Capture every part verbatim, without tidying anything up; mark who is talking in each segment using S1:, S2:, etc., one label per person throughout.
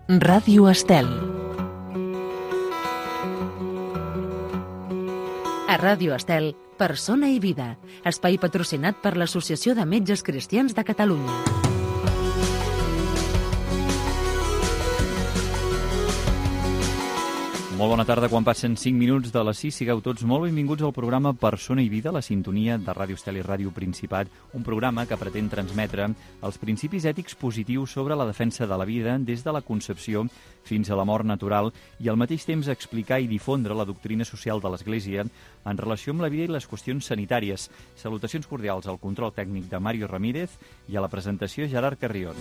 S1: Ràdio Estel. A Ràdio Estel, Persona i Vida, espai patrocinat per l'Associació de Metges Cristians de Catalunya.
S2: Molt bona tarda, quan passen cinc minuts de les sis, sigueu tots molt benvinguts al programa Persona i Vida, la sintonia de Ràdio Estel i Ràdio Principat, un programa que pretén transmetre els principis ètics positius sobre la defensa de la vida des de la concepció fins a la mort natural i al mateix temps explicar i difondre la doctrina social de l'Església en relació amb la vida i les qüestions sanitàries. Salutacions cordials al control tècnic de Mario Ramírez i a la presentació Gerard Carrion.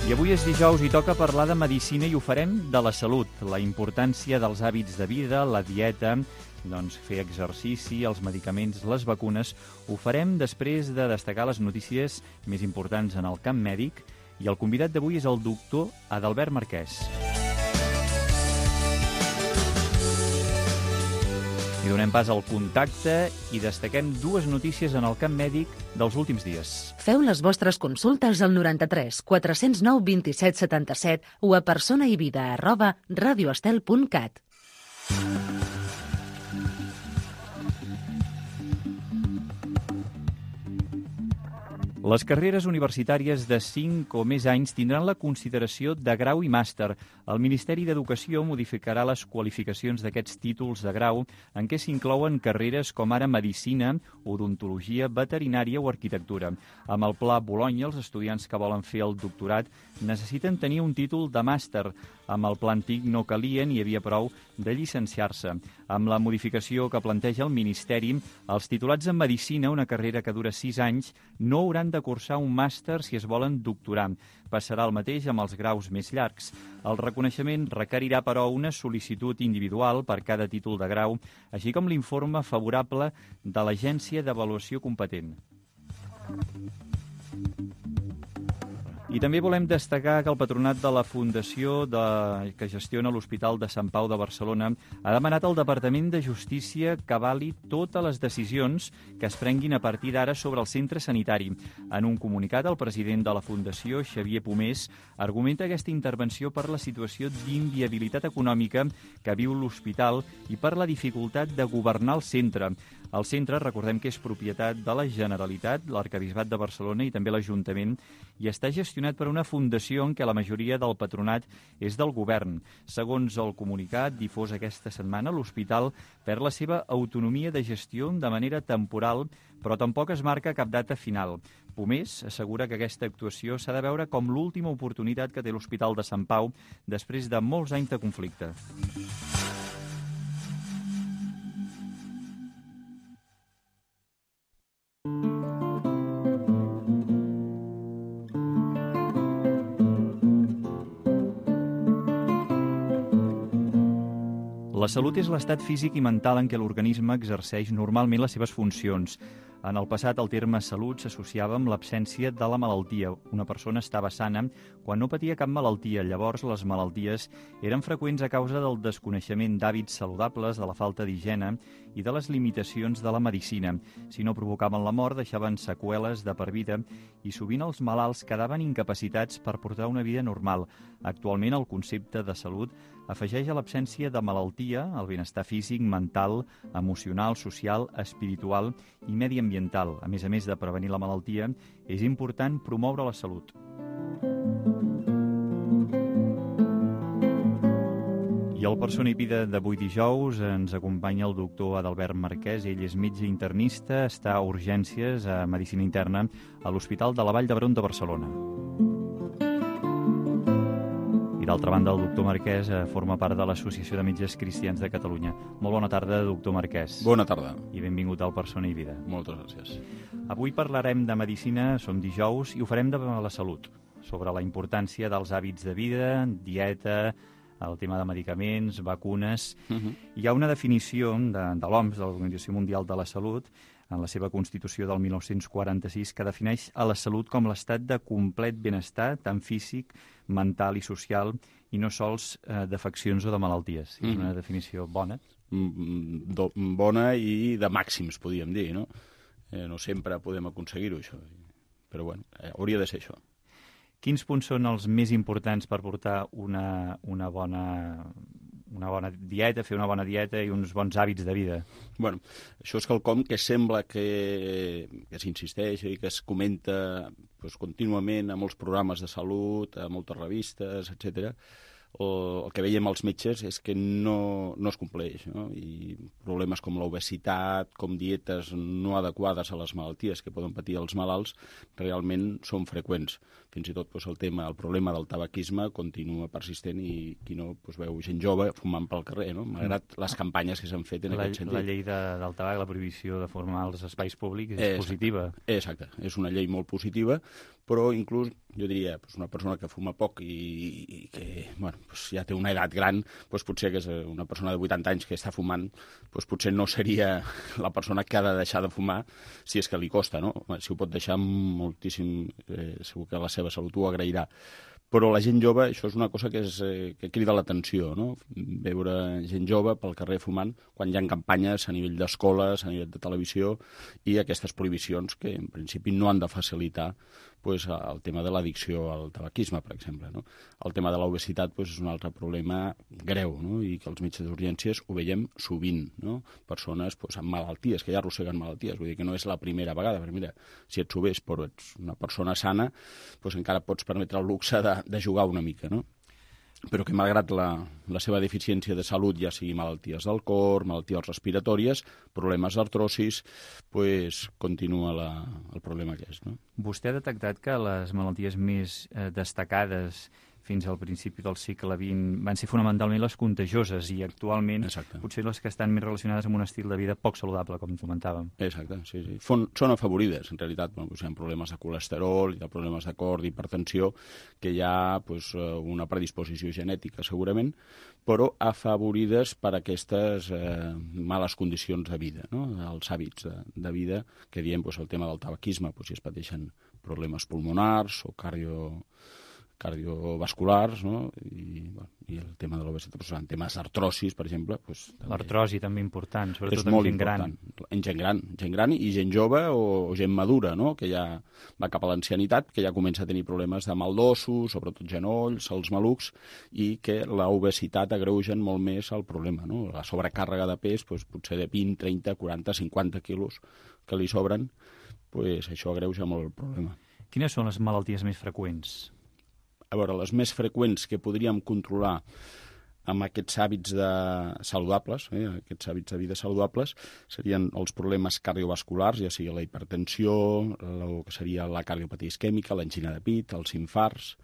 S2: I avui és dijous i toca parlar de medicina i ho farem de la salut, la importància dels hàbits de vida, la dieta, doncs fer exercici, els medicaments, les vacunes. Ho farem després de destacar les notícies més importants en el camp mèdic i el convidat d'avui és el doctor Adalbert Marquès. I donem pas al contacte i destaquem dues notícies en el camp mèdic dels últims dies.
S1: Feu les vostres consultes al noranta-tres quatre cents nou vint-i-set setanta-set o a personaivida arroba radioestel punt cat.
S2: Les carreres universitàries de cinc o més anys tindran la consideració de grau i màster. El Ministeri d'Educació modificarà les qualificacions d'aquests títols de grau en què s'inclouen carreres com ara medicina, odontologia, veterinària o arquitectura. Amb el Pla Bolonya, els estudiants que volen fer el doctorat necessiten tenir un títol de màster. Amb el pla antic no calia ni hi havia prou de llicenciar-se. Amb la modificació que planteja el Ministeri, els titulats en medicina, una carrera que dura sis anys, no hauran de cursar un màster si es volen doctorar. Passarà el mateix amb els graus més llargs. El reconeixement requerirà, però, una sol·licitud individual per cada títol de grau, així com l'informe favorable de l'agència d'avaluació competent. I també volem destacar que el patronat de la Fundació de... que gestiona l'Hospital de Sant Pau de Barcelona ha demanat al Departament de Justícia que avali totes les decisions que es prenguin a partir d'ara sobre el centre sanitari. En un comunicat, el president de la Fundació, Xavier Pomés, argumenta aquesta intervenció per la situació d'inviabilitat econòmica que viu l'hospital i per la dificultat de governar el centre. El centre, recordem que és propietat de la Generalitat, l'Arquebisbat de Barcelona i també l'Ajuntament, i està gestionat per una fundació en què la majoria del patronat és del govern. Segons el comunicat difós aquesta setmana, l'hospital perd la seva autonomia de gestió de manera temporal, però tampoc es marca cap data final. Pomés assegura que aquesta actuació s'ha de veure com l'última oportunitat que té l'Hospital de Sant Pau després de molts anys de conflicte. La salut és l'estat físic i mental en què l'organisme exerceix normalment les seves funcions. En el passat, el terme salut s'associava amb l'absència de la malaltia. Una persona estava sana quan no patia cap malaltia. Llavors, les malalties eren freqüents a causa del desconeixement d'hàbits saludables, de la falta d'higiene i de les limitacions de la medicina. Si no provocaven la mort, deixaven seqüeles de per vida i sovint els malalts quedaven incapacitats per portar una vida normal. Actualment, el concepte de salut afegeix a l'absència de malaltia el benestar físic, mental, emocional, social, espiritual i mediambiental. A més a més de prevenir la malaltia, és important promoure la salut. I al Persona i Vida d'avui dijous ens acompanya el doctor Adalbert Marquès. Ell és metge internista, està a urgències a Medicina Interna a l'Hospital de la Vall d'Hebron de Barcelona. D'altra banda, el doctor Marquès forma part de l'Associació de Metges Cristians de Catalunya. Molt bona tarda, doctor Marquès.
S3: Bona tarda.
S2: I benvingut al Persona i Vida.
S3: Moltes gràcies.
S2: Avui parlarem de medicina, som dijous, i ho farem de la salut, sobre la importància dels hàbits de vida, dieta, el tema de medicaments, vacunes. Uh-huh. Hi ha una definició de, de l'O M S, de l'Organització Mundial de la Salut, en la seva Constitució del mil nou-cents quaranta-sis, que defineix a la salut com l'estat de complet benestar, tant físic, mental i social, i no sols eh, d'afeccions o de malalties. Mm. És una definició bona.
S3: Mm, do, bona i de màxims, podríem dir, no? Eh, no sempre podem aconseguir-ho, això. Però, bueno, eh, hauria de ser això.
S2: Quins punts són els més importants per portar una, una, bona, una bona dieta, fer una bona dieta i uns bons hàbits de vida?
S3: Bueno, això és quelcom que sembla que, que s'insisteix i que es comenta pues, contínuament a molts programes de salut, a moltes revistes, etcètera. O el que veiem als metges és que no, no es compleix, no? I problemes com l'obesitat, com dietes no adequades a les malalties que poden patir els malalts, realment són freqüents. Fins i tot doncs, el tema, el problema del tabaquisme continua persistent i qui no doncs, veu gent jove fumant pel carrer, no? Malgrat les campanyes que s'han fet en
S2: la,
S3: aquest sentit.
S2: La llei de, del tabac, la prohibició de formar els espais públics és
S3: exacte,
S2: positiva.
S3: Exacte, és una llei molt positiva, però inclús, jo diria, doncs, una persona que fuma poc i, i que bueno, doncs ja té una edat gran, doncs potser que és una persona de vuitanta anys que està fumant, doncs potser no seria la persona que ha de deixar de fumar si és que li costa, no? Si ho pot deixar moltíssim, eh, segur que la seva salut ho agrairà. Però la gent jove, això és una cosa que, és, eh, que crida l'atenció, no? Veure gent jove pel carrer fumant quan hi ha campanyes a nivell d'escoles, a nivell de televisió, i aquestes prohibicions que en principi no han de facilitar pues, el tema de l'addicció al tabaquisme, per exemple. No? El tema de l'obesitat pues, és un altre problema greu, no? I que els metges d'urgències ho veiem sovint, no? Persones pues, amb malalties, que ja arrosseguen malalties, vull dir que no és la primera vegada, perquè mira, si ets obès però ets una persona sana, pues, encara pots permetre el luxe de, de jugar una mica, no? Però que malgrat la, la seva deficiència de salut, ja sigui malalties del cor, malalties respiratòries, problemes d'artrosis, pues, continua la, el problema que és. No?
S2: Vostè ha detectat que les malalties més eh, destacades fins al principi del segle vint van ser fonamentalment les contagioses i actualment
S3: Exacte.
S2: Potser les que estan més relacionades amb un estil de vida poc saludable, com comentàvem.
S3: Exacte, sí, sí. Fon, són afavorides, en realitat. Bueno, doncs hi ha problemes de colesterol, hi ha problemes de cor, d'hipertensió, que hi ha pues, una predisposició genètica, segurament, però afavorides per aquestes eh, males condicions de vida, no? Els hàbits de, de vida, que diem pues, el tema del tabaquisme, pues, si es pateixen problemes pulmonars o cardio... cardiovasculars, no? I, bueno, i el tema de l'obesitat, doncs, en temes d'artrosis, per exemple... Doncs,
S2: l'artrosi també important, sobretot
S3: en
S2: gent
S3: important.
S2: gran.
S3: En gent gran, gent gran i gent jove o, o gent madura, no? Que ja va cap a l'ancianitat, que ja comença a tenir problemes de mal d'ossos, sobretot genolls, els malucs, i que l'obesitat agreugen molt més el problema, no? La sobrecàrrega de pes, doncs, potser de vint, trenta, quaranta, cinquanta quilos que li sobren, doncs, això agreuja molt el problema.
S2: Quines són les malalties més freqüents?
S3: A veure, les més freqüents que podríem controlar amb aquests hàbits de saludables, eh, aquests hàbits de vida saludables, serien els problemes cardiovasculars, ja sigui la hipertensió, el que seria la cardiopatia isquèmica, l'angina de pit, els infarts,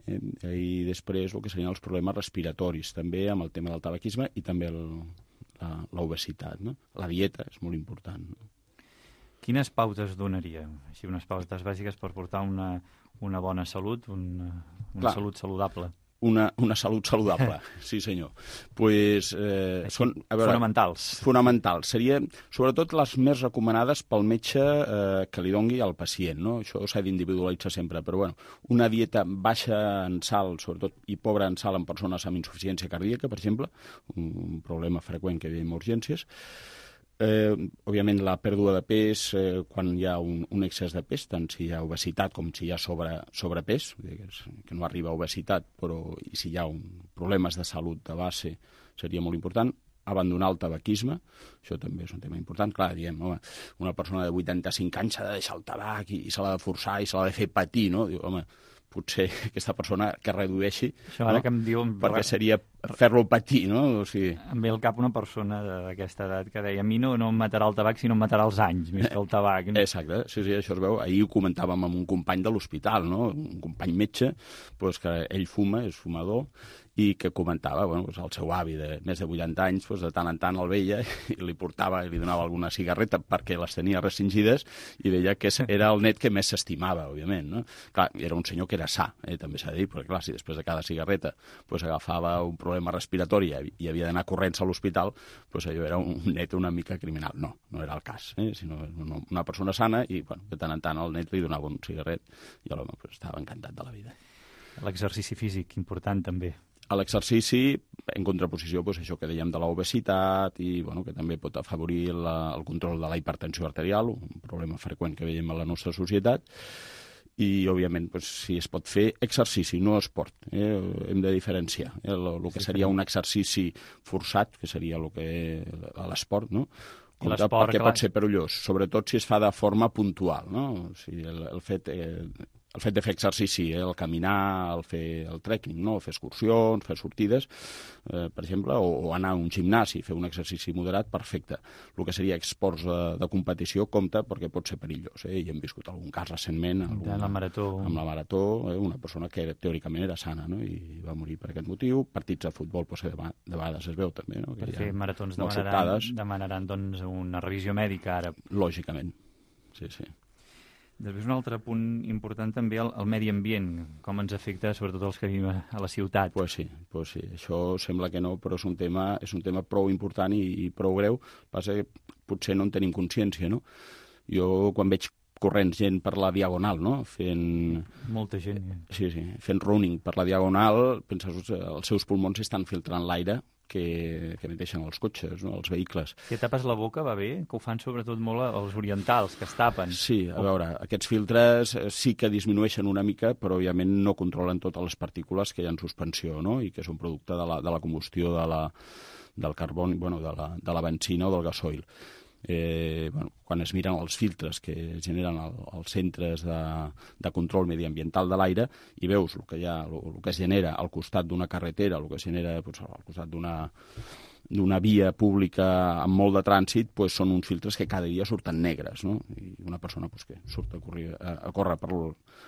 S3: eh, i després el que serien els problemes respiratoris, també amb el tema del tabaquisme i també l'obesitat. No? La dieta és molt important. No?
S2: Quines pautes donaria? Així, unes pautes bàsiques per portar una... una bona salut, una, una
S3: Clar,
S2: salut saludable.
S3: Una, una salut saludable, sí senyor. Pues, eh, són, a veure,
S2: fonamentals.
S3: Fonamentals. Seria, sobretot, les més recomanades pel metge eh, que li dongui al pacient. No? Això s'ha d'individualitzar sempre, però bueno, una dieta baixa en sal, sobretot, i pobra en sal en persones amb insuficiència cardíaca, per exemple, un, un problema freqüent que veiem a urgències. Eh, òbviament la pèrdua de pes eh, quan hi ha un, un excés de pes, tant si hi ha obesitat com si hi ha sobre, sobrepès, que no arriba a obesitat, però i si hi ha un, problemes de salut de base seria molt important. Abandonar el tabaquisme, això també és un tema important. Clar, diem, home, una persona de vuitanta-cinc anys s'ha de deixar el tabac i, i se l'ha de forçar i se l'ha de fer patir, no? Diu, home, potser aquesta persona que redueixi,
S2: això ara
S3: no?
S2: que em diu...
S3: perquè seria fer-lo patir, no? O sigui...
S2: Em ve al cap una persona d'aquesta edat que deia a mi no, no em matarà el tabac, sinó em matarà els anys, més que el tabac. No?
S3: Exacte, sí, sí, això es veu. Ahir ho comentàvem amb un company de l'hospital, no? Un company metge, doncs que ell fuma, és fumador, i que comentava bueno, doncs el seu avi de més de vuitanta anys, doncs de tant en tant el veia i li portava i li donava alguna cigarreta perquè les tenia restringides i deia que era el net que més s'estimava, òbviament. No? Clar, era un senyor que era sa, eh, també s'ha de dir, perquè clar, si després de cada cigarreta doncs, agafava un problema respiratori i havia d'anar corrents a l'hospital, doncs allò era un net una mica criminal. No, no era el cas, eh, sinó una persona sana i bueno, de tant en tant el net li donava un cigarret i l'home doncs, estava encantat de la vida.
S2: L'exercici físic, important també.
S3: A l'exercici, en contraposició, doncs, això que dèiem de l'obesitat i bueno, que també pot afavorir la, el control de la hipertensió arterial, un problema freqüent que veiem a la nostra societat, i, òbviament, doncs, si es pot fer exercici, no esport. Eh? Hem de diferenciar eh? el, el que seria un exercici forçat, que seria el que, l'esport, no? Compte, perquè clar, pot ser perillós, sobretot si es fa de forma puntual, no? O sigui, el, el fet... Eh, el fet de fer exercici, eh, el caminar, el fer el trekking, no? Fer excursions, fer sortides, eh, per exemple, o, o anar a un gimnàs i fer un exercici moderat, perfecte. El que seria esports de, de competició compta perquè pot ser perillós. Eh? I hem viscut algun cas recentment alguna,
S2: la marató.
S3: amb la marató, eh? una persona que teòricament era sana, no? I va morir per aquest motiu. Partits de futbol, doncs, de, de vegades es veu també, no? Que
S2: per fer maratons
S3: demanaran,
S2: sobtades. demanaran doncs, una revisió mèdica ara.
S3: Lògicament, sí, sí.
S2: Després un altre punt important també, el, el medi ambient, com ens afecta sobretot els que vivim a, a la ciutat.
S3: Pues sí, pues sí, això sembla que no, però és un tema, és un tema prou important i, i prou greu, passa que potser no en tenim consciència, no? Jo quan veig corrents gent per la Diagonal, no? Fent...
S2: Molta gent.
S3: Sí, sí, fent running per la Diagonal, penses, els seus pulmons estan filtrant l'aire que, que emeteixen els cotxes, no? Els vehicles.
S2: Si tapes la boca va bé? Que ho fan sobretot molt els orientals, que es tapen.
S3: Sí, a veure, aquests filtres sí que disminueixen una mica, però òbviament no controlen totes les partícules que hi ha en suspensió, no? I que són producte de la, de la combustió de la, del carboni, bueno, de la, de la benzina o del gasoil. Eh, bueno, quan es miren els filtres que es generen al, als centres de, de control mediambiental de l'aire i veus el que, hi ha, el, el que es genera al costat d'una carretera, el que es genera doncs, al costat d'una d'una via pública amb molt de trànsit, pues, són uns filtres que cada dia surten negres, no? I una persona pues, que surt a, correr, a, a córrer per,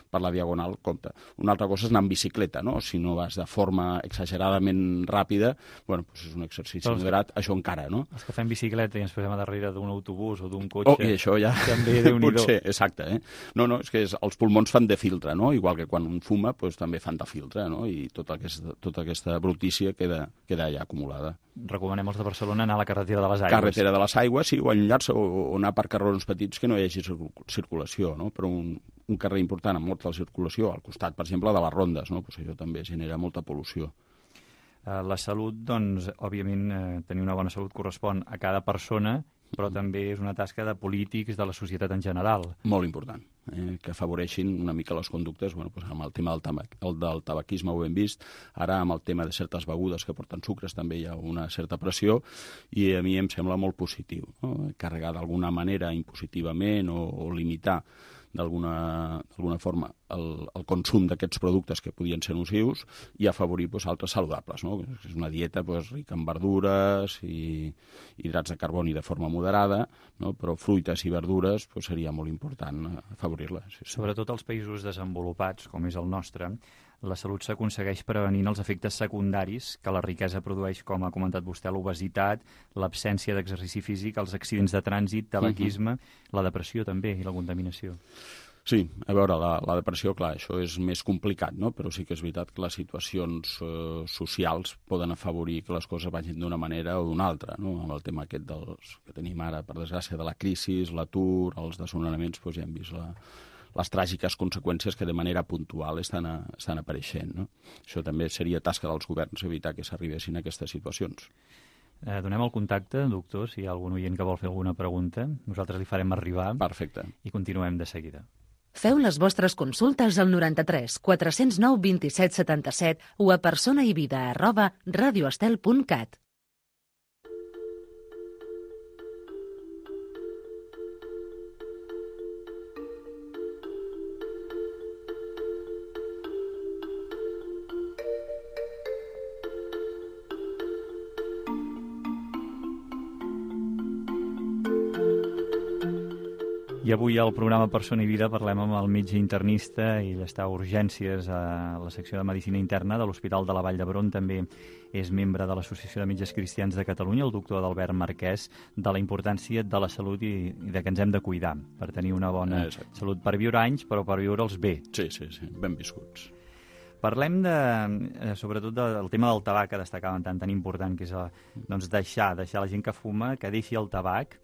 S3: per la Diagonal, compte. Una altra cosa és anar en bicicleta, no? Si no vas de forma exageradament ràpida, bueno, pues és un exercici doncs, moderat, això encara, no?
S2: Els que fem bicicleta i ens posem a darrere d'un autobús o d'un cotxe...
S3: Oh, i això ja...
S2: També, Déu-n'hi-do.
S3: Potser, exacte, eh? No, no, és que és, els pulmons fan de filtre, no? Igual que quan un fuma, pues, també fan de filtre, no? I tota aquesta, tota aquesta brutícia queda, queda allà acumulada.
S2: Recomanem els de Barcelona anar a la carretera de les Aigües.
S3: Carretera de les Aigües, sí, o allunyar-se o, o anar per carrerons petits que no hi hagi circulació, no? Però un, un carrer important amb molta circulació, al costat, per exemple, de les rondes, no? Pues això també genera molta pol·lució.
S2: La salut, doncs, òbviament, eh, tenir una bona salut correspon a cada persona, però també és una tasca de polítics, de la societat en general.
S3: Molt important, eh, que afavoreixin una mica les conductes, bueno, pues amb el tema del, tabac, el del tabaquisme ho hem vist, ara amb el tema de certes begudes que porten sucres també hi ha una certa pressió i a mi em sembla molt positiu, no? Carregar d'alguna manera impositivament o, o limitar d'alguna forma el, el consum d'aquests productes que podien ser nocius i afavorir pues, altres saludables, no? És una dieta pues, rica en verdures i hidrats de carboni de forma moderada, no? Però fruites i verdures pues, seria molt important afavorir-les. Sí, sí.
S2: Sobretot als països desenvolupats, com és el nostre, la salut s'aconsegueix prevenint els efectes secundaris que la riquesa produeix, com ha comentat vostè, l'obesitat, l'absència d'exercici físic, els accidents de trànsit, tabaquisme, uh-huh. la depressió també i la contaminació.
S3: Sí, a veure, la, la depressió, clar, això és més complicat, no? Però sí que és veritat que les situacions eh, socials poden afavorir que les coses vagin d'una manera o d'una altra, no? Amb el tema aquest dels, que tenim ara, per desgràcia, de la crisi, l'atur, els desnonaments, doncs ja hem vist la, les tràgiques conseqüències que de manera puntual estan, a, estan apareixent, no? Això també seria tasca dels governs, evitar que s'arribessin a aquestes situacions.
S2: Eh, donem el contacte, doctor, si hi ha algun oient que vol fer alguna pregunta. Nosaltres li farem arribar.
S3: Perfecte.
S2: I continuem de seguida.
S1: Feu les vostres consultes al noranta-tres quatre cents nou vint-i-set setanta-set o a personaivida arroba radioestel punt cat.
S2: I avui al programa Persona i Vida parlem amb el metge internista i està a urgències a la secció de Medicina Interna de l'Hospital de la Vall d'Hebron. També és membre de l'Associació de Metges Cristians de Catalunya, el doctor Adalbert Marquès, de la importància de la salut i, i de que ens hem de cuidar per tenir una bona Exacte. salut, per viure anys, però per viure'ls bé.
S3: Sí, sí, sí, ben viscuts.
S2: Parlem de, sobretot del tema del tabac, que destacaven tant, tan important, que és doncs, deixar, deixar la gent que fuma, que deixi el tabac.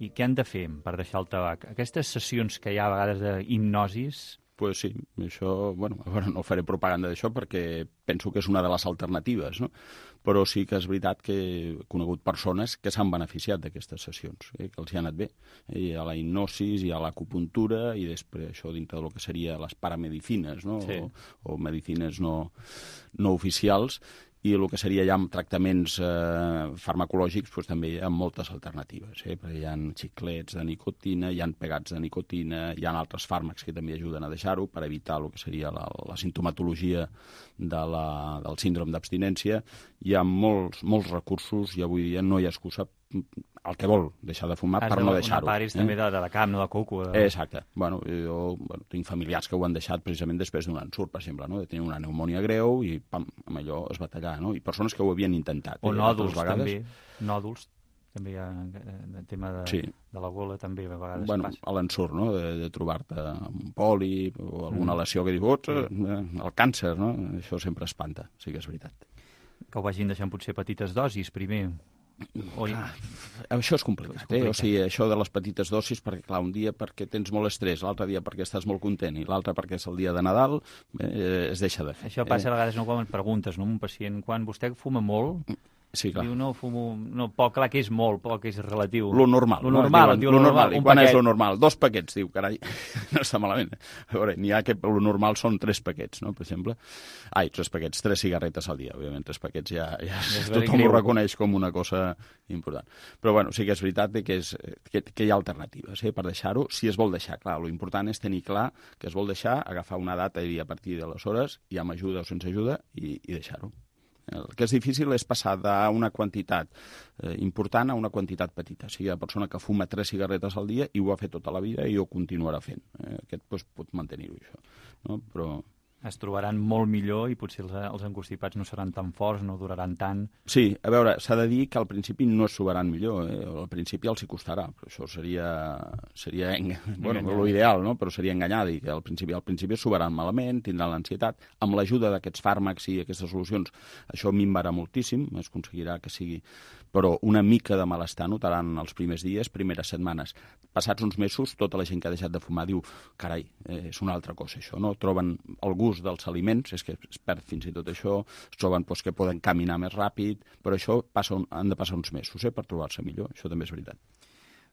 S2: I què han de fer per deixar el tabac? Aquestes sessions que hi ha a vegades d'hipnosis,
S3: pues sí, això, bueno, no faré propaganda d'això perquè penso que és una de les alternatives, no? Però sí que és veritat que he conegut persones que s'han beneficiat d'aquestes sessions, eh, que els hi ha anat bé. Hi ha la hipnosis, hi ha l'acupuntura i després això dintre del que seria les paramedicines, no?
S2: Sí.
S3: O, o medicines no, no oficials, i el que seria ja amb tractaments eh, farmacològics doncs, també hi ha moltes alternatives, eh? Perquè hi ha xiclets de nicotina, hi ha pegats de nicotina, hi ha altres fàrmacs que també ajuden a deixar-ho per evitar el que seria la, la sintomatologia de la, del síndrome d'abstinència. Hi ha molts, molts recursos i avui dia no hi ha excusa el que vol deixar de fumar
S2: Has
S3: per
S2: de,
S3: no deixar-ho.
S2: Una part és eh? també de, de, de camp, no de coco. De...
S3: Exacte. Bueno, jo bueno, tinc familiars que ho han deixat precisament després d'un ensurt, per exemple, no? De tenir una pneumònia greu i pam, amb allò es va tallar, no? I persones que ho havien intentat.
S2: O
S3: eh?
S2: nòduls,
S3: vegades...
S2: també. Nòduls, també hi ha el tema de,
S3: sí.
S2: de la gola, també a vegades
S3: bueno,
S2: passa.
S3: A l'ensurt, no? De, de trobar-te un pòlip o alguna mm. lesió que dius, ots, eh, el càncer, no? Això sempre espanta, sí que és veritat.
S2: Que ho vagin deixant potser petites dosis primer. O...
S3: Ah, això és complicat, és complicat. Eh? O sigui, això de les petites dosis, perquè clar, un dia perquè tens molt estrès, l'altre dia perquè estàs molt content i l'altre perquè és el dia de Nadal, eh, es deixa de fer.
S2: Això passa
S3: eh?
S2: a vegades, no, quan preguntes, no, un pacient, quan vostè fuma molt...
S3: Sí, clar.
S2: Diu, no, fumo... No, poc, clar que és molt, poc és relatiu.
S3: Lo normal.
S2: Lo normal,
S3: no?
S2: diu,
S3: lo normal. I quan
S2: paquet.
S3: és lo normal? Dos paquets, diu, carai, no està malament. A veure, n'hi ha que lo normal són tres paquets, no?, per exemple. Ai, tres paquets, tres cigarretes al dia. Òbviament, tres paquets ja, ja tothom ho reconeix com una cosa important. Però, bueno, sí que és veritat que, és, que, que hi ha alternatives, eh, per deixar-ho, si es vol deixar. Clar, lo important és tenir clar que es vol deixar, agafar una data i a partir d'aleshores, ja amb ajuda o sense ajuda, i, i deixar-ho. El que és difícil és passar d'una quantitat eh, important a una quantitat petita. O sigui, la persona que fuma tres cigarretes al dia i ho ha fet tota la vida i ho continuarà fent. Eh, aquest doncs, pot mantenir-ho, això. No? Però...
S2: Es trobaran molt millor i potser els, els encostipats no seran tan forts, no duraran tant.
S3: Sí, a veure, s'ha de dir que al principi no es trobaran millor, eh? Al principi els hi costarà, però això seria, seria eng... bueno, l'ideal, no? Però seria enganyar, dir que al principi, al principi es trobaran malament, tindran l'ansietat. Amb l'ajuda d'aquests fàrmacs i aquestes solucions, això minvarà moltíssim, es aconseguirà que sigui... Però una mica de malestar notaran els primers dies, primeres setmanes. Passats uns mesos, tota la gent que ha deixat de fumar diu, carai, eh, és una altra cosa això, no? Troben el gust dels aliments, és que es perd fins i tot això, es troben doncs, que poden caminar més ràpid, però això passa un, han de passar uns mesos eh, per trobar-se millor, això també és veritat.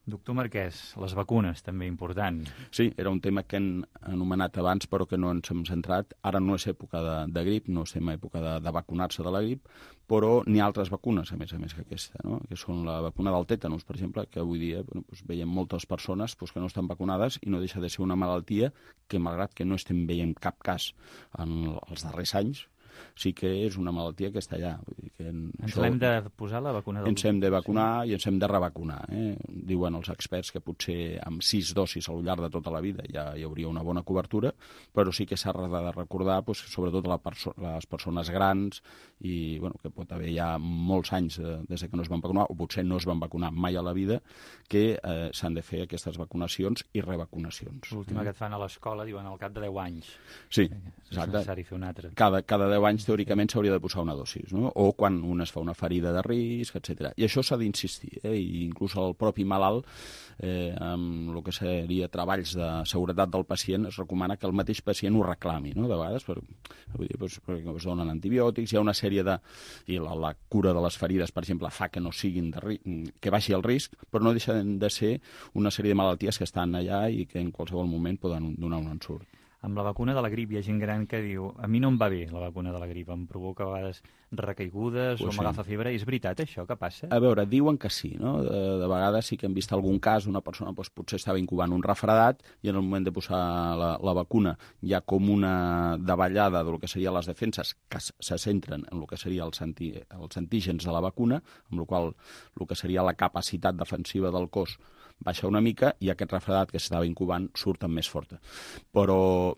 S2: Doctor Marquès, les vacunes, també important.
S3: Sí, era un tema que hem anomenat abans, però que no ens hem centrat. Ara no és època de, de grip, no estem a època de, de vacunar-se de la grip, però n'hi ha altres vacunes, a més a més que aquesta, no? Que són la vacuna del tètanus, per exemple, que avui dia bueno, doncs veiem moltes persones doncs, que no estan vacunades i no deixa de ser una malaltia que, malgrat que no estem veient cap cas en els darrers anys, sí que és una malaltia que està allà. Vull dir que en
S2: ens
S3: això,
S2: l'hem de posar, la vacuna del...
S3: Ens hem de vacunar sí. I ens hem de revacunar. Eh? Diuen els experts que potser amb sis dosis al llarg de tota la vida ja hi hauria una bona cobertura, però sí que s'ha de recordar, doncs, sobretot la perso les persones grans, i bueno, que pot haver ja molts anys eh, des que no es van vacunar, o potser no es van vacunar mai a la vida, que eh, s'han de fer aquestes vacunacions i revacunacions.
S2: L'última
S3: eh?
S2: que et fan a l'escola, diuen, al cap de deu anys.
S3: Sí,
S2: és
S3: exacte.
S2: necessari fer una altra.
S3: Cada, cada deu anys, teòricament, s'hauria de posar una dosis, no? O quan un es fa una ferida de risc, etcètera. I això s'ha d'insistir, eh? I inclús el propi malalt, eh, amb el que seria treballs de seguretat del pacient, es recomana que el mateix pacient ho reclami, no? De vegades, per, vull dir, doncs, perquè es donen antibiòtics, hi ha una sèrie de... I la, la cura de les ferides, per exemple, fa que no siguin de ri... que baixi el risc, però no deixen de ser una sèrie de malalties que estan allà i que en qualsevol moment poden donar un ensurt.
S2: Amb la vacuna de la grip hi ha gent gran que diu a mi no em va bé la vacuna de la grip, em provoca a vegades recaigudes
S3: pues
S2: o m'agafa sí. febre. És veritat això que passa?
S3: A veure, diuen que sí, no? De, de vegades sí que hem vist algun cas, una persona doncs, potser estava incubant un refredat i en el moment de posar la, la vacuna hi ha com una davallada del que serien les defenses que se centren en el que serien els, anti, els antígens de la vacuna, amb la qual el que seria la capacitat defensiva del cos baixa una mica i aquest refredat que s'estava incubant surt amb més forta. Però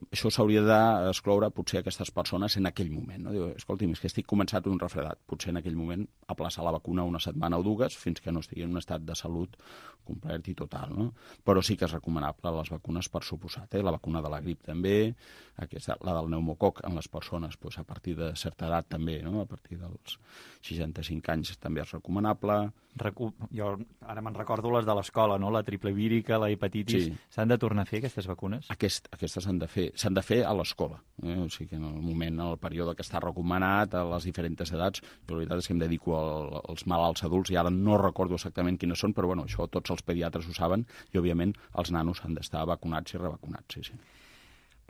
S3: això s'hauria d'excloure potser aquestes persones en aquell moment. No? Diu, escolti'm, és que estic començat un refredat. Potser en aquell moment aplaçar la vacuna una setmana o dues fins que no estigui en un estat de salut complet i total. No? Però sí que és recomanable les vacunes per suposat. Eh? La vacuna de la grip també, aquesta, la del pneumococ en les persones doncs, a partir de certa edat també, no? A partir dels seixanta-cinc anys també és recomanable.
S2: Recu jo ara me'n recordo les de l'escola, no? no? La triple vírica, la hepatitis...
S3: Sí.
S2: S'han de tornar a fer aquestes vacunes?
S3: Aquest, aquestes s'han de fer s'han de fer a l'escola. Eh? O sigui que en el moment, en el període que està recomanat, a les diferents edats, però la veritat és que em dedico al, als malalts adults i ara no recordo exactament quines són, però bueno, això tots els pediatres ho saben i, òbviament, els nanos han d'estar vacunats i revacunats, sí, sí.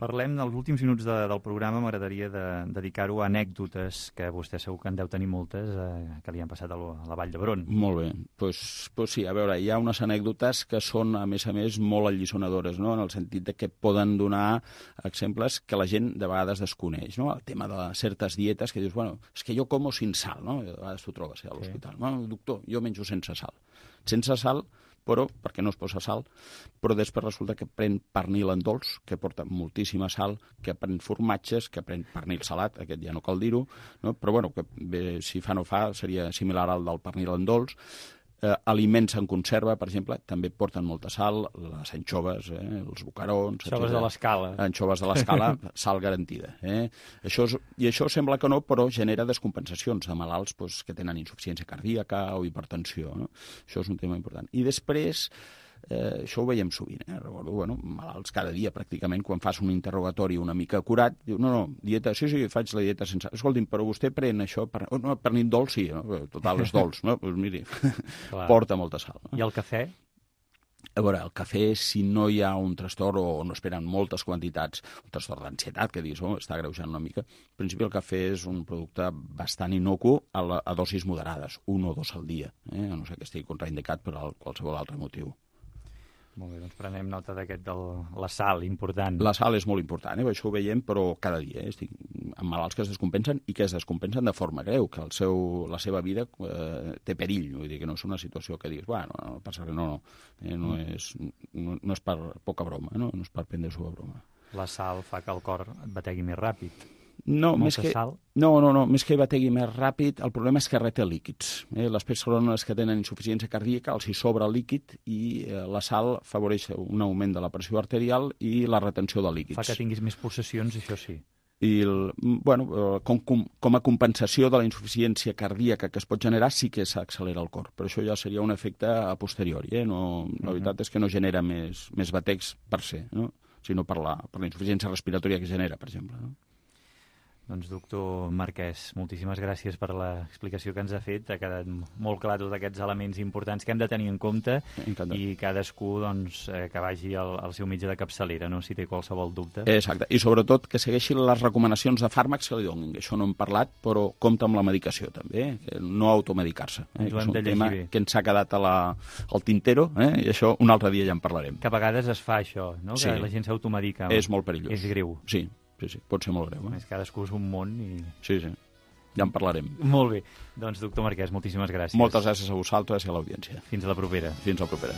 S2: Parlem dels últims minuts de, del programa, m'agradaria de, dedicar-ho a anècdotes, que vostè segur que en deu tenir moltes, eh, que li han passat a, lo, a la Vall d'Hebron.
S3: Molt bé, doncs pues, pues sí, a veure, hi ha unes anècdotes que són, a més a més, molt alliçonadores, no? En el sentit de que poden donar exemples que la gent de vegades desconeix, no? El tema de certes dietes que dius, bueno, és que jo como sin sal, no? De vegades t'ho trobes a l'hospital. Sí. Bueno, doctor, jo menjo sense sal. Sense sal, però, perquè no es posa sal, però després resulta que pren pernil en dolç, que porta moltíssima sal, que pren formatges, que pren pernil salat, aquest ja no cal dir-ho, no? Però bueno, que bé, si fa no fa, seria similar al del pernil en dolç. Eh, aliments en conserva, per exemple, també porten molta sal, les anxoves, eh, els bocarons...
S2: Anxoves de l'Escala.
S3: Anxoves de l'Escala, sal garantida. Eh? Això és, I això sembla que no, però genera descompensacions de malalts pues, que tenen insuficiència cardíaca o hipertensió. No? Això és un tema important. I després... Eh, això ho veiem sovint, eh? Recordo, bueno, malalts cada dia pràcticament, quan fas un interrogatori una mica acurat, diu, no, no, dieta, sí, sí, faig la dieta sense... Escolti'm, però vostè pren això, per... oh, no, pernil dolç, sí, no? Total, és dolç, no? Doncs miri, porta molta sal. No?
S2: I el cafè?
S3: A veure, el cafè, si no hi ha un trastorn o no esperen moltes quantitats, un trastorn d'ansietat, que dius, oh, està agreujant una mica, en principi el cafè és un producte bastant inocu a, la, a dosis moderades, un o dos al dia, eh? A no sé que estigui contraindicat per qualsevol altre motiu.
S2: Molt bé, doncs prenem nota d'aquest de la sal, important.
S3: La sal és molt important, eh? Això ho veiem, però cada dia. Eh? Estic amb malalts que es descompensen i que es descompensen de forma greu, que el seu, la seva vida eh, té perill. Vull dir que no és una situació que diguis, bueno, no passa res, no, no. Eh, no, és, no, no és per poca broma, no, no és per prendre-s'ho a broma.
S2: La sal fa que el cor et bategui més ràpid.
S3: No, més que, no, no, no, més que bategui més ràpid, el problema és que reta líquids. Eh? Les persones que tenen insuficiència cardíaca els hi sobra el líquid i eh, la sal afavoreix un augment de la pressió arterial i la retenció de líquids.
S2: Fa que tinguis més pulsacions, això sí.
S3: I, el, bueno, com, com, com a compensació de la insuficiència cardíaca que es pot generar, sí que s'accelera el cor. Però això ja seria un efecte a posteriori. Eh? No, la uh-huh. veritat és que no genera més, més batecs per ser, no? Sinó per la, per la insuficiència respiratòria que genera, per exemple. No?
S2: Doncs, doctor Marquès, moltíssimes gràcies per l'explicació que ens ha fet. Ha quedat molt clar tots aquests elements importants que hem de tenir en compte.
S3: Encantat.
S2: I cadascú doncs, eh, que vagi al, al seu metge de capçalera, no? Si té qualsevol dubte.
S3: Exacte, i sobretot que segueixi les recomanacions de fàrmacs que li donin. Això no hem parlat, però compta amb la medicació també, eh? Que no automedicar-se. Eh?
S2: Ens ho hem de llegir bé.
S3: Que ens ha quedat a la, al tintero, eh? I això un altre dia ja en parlarem.
S2: Que a vegades es fa això, no?
S3: Sí.
S2: Que la gent s'automedica.
S3: És molt perillós.
S2: És greu.
S3: Sí. Sí, sí, pot ser molt greu. Eh?
S2: Més cadascú és un món i...
S3: Sí, sí, ja en parlarem.
S2: Molt bé. Doncs, doctor Marquès, moltíssimes gràcies.
S3: Moltes gràcies a vosaltres i a l'audiència.
S2: Fins a la propera.
S3: Fins a la propera.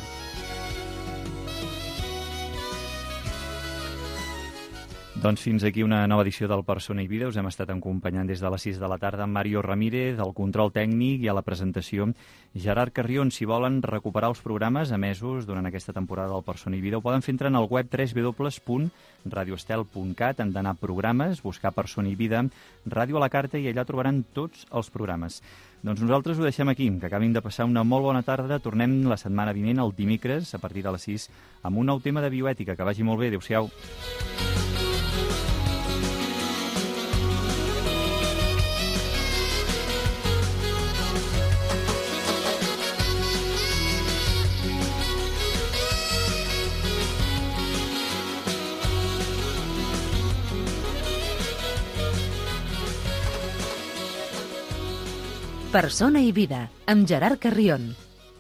S2: Doncs fins aquí una nova edició del Persona i Vida. Us hem estat acompanyant des de les sis de la tarda amb Mario Ramírez, del control tècnic, i a la presentació Gerard Carrion. Si volen recuperar els programes emesos durant aquesta temporada del Persona i Vida, ho poden fer entrant al web w w w punt radio estel punt cat. Han d'anar a programes, buscar Persona i Vida, ràdio a la carta, i allà trobaran tots els programes. Doncs nosaltres ho deixem aquí, que acabin de passar una molt bona tarda. Tornem la setmana vinent, el dimecres, a partir de les sis, amb un nou tema de bioètica. Que vagi molt bé. Adéu-siau.
S1: Persona i Vida, amb Gerard Carrion.